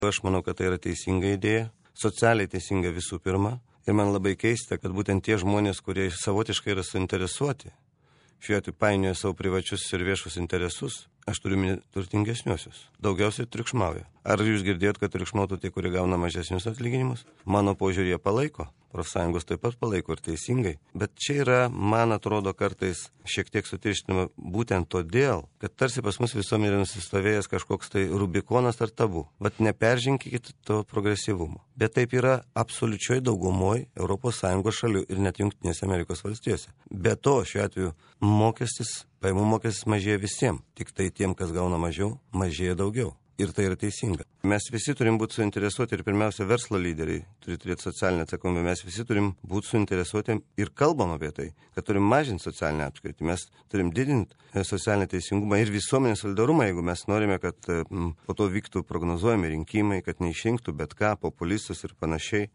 Aš manau, kad tai yra teisinga idėja, socialiai teisinga visų pirma. Ir man labai keista, kad būtent tie žmonės, kurie savotiškai yra suinteresuoti, šiuo atveju painioja savo privačius ir viešus interesus, aš turiu turtingesniuosius, daugiausiai triukšmauja. Ar jūs girdėjot, kad triukšmautų tie, kurie gauna mažesnius atlyginimus? Mano požiūrį jie palaiko, profsąjungos taip pat palaiko ir teisingai. Bet čia yra, man atrodo, kartais šiek tiek sutirštinama būtent todėl, kad tarsi pas mus visuomenė nusistovėjęs kažkoks tai rubikonas ar tabu. Bet neperžinkite to progresyvumo. Bet taip yra absoliučioj daugumoj ES šalių ir net Jungtinėse Amerikos valstijose. Be to, šiuo atveju pajamų mokestis mažėja visiems, tik tai tiem, kas gauna mažiau, mažėja daugiau. Ir tai yra teisinga. Mes visi turim būti suinteresuoti ir pirmiausia verslo lyderiai turi turėti socialinę atsakomybę. Mes visi turim būti suinteresuoti ir kalbam apie tai, kad turim mažinti socialinę atskirtį. Mes turim didinti socialinę teisingumą ir visuomenės solidarumą, jeigu mes norime, kad po to vyktų prognozuojami rinkimai, kad neišrinktų bet ką, populistus ir panašiai.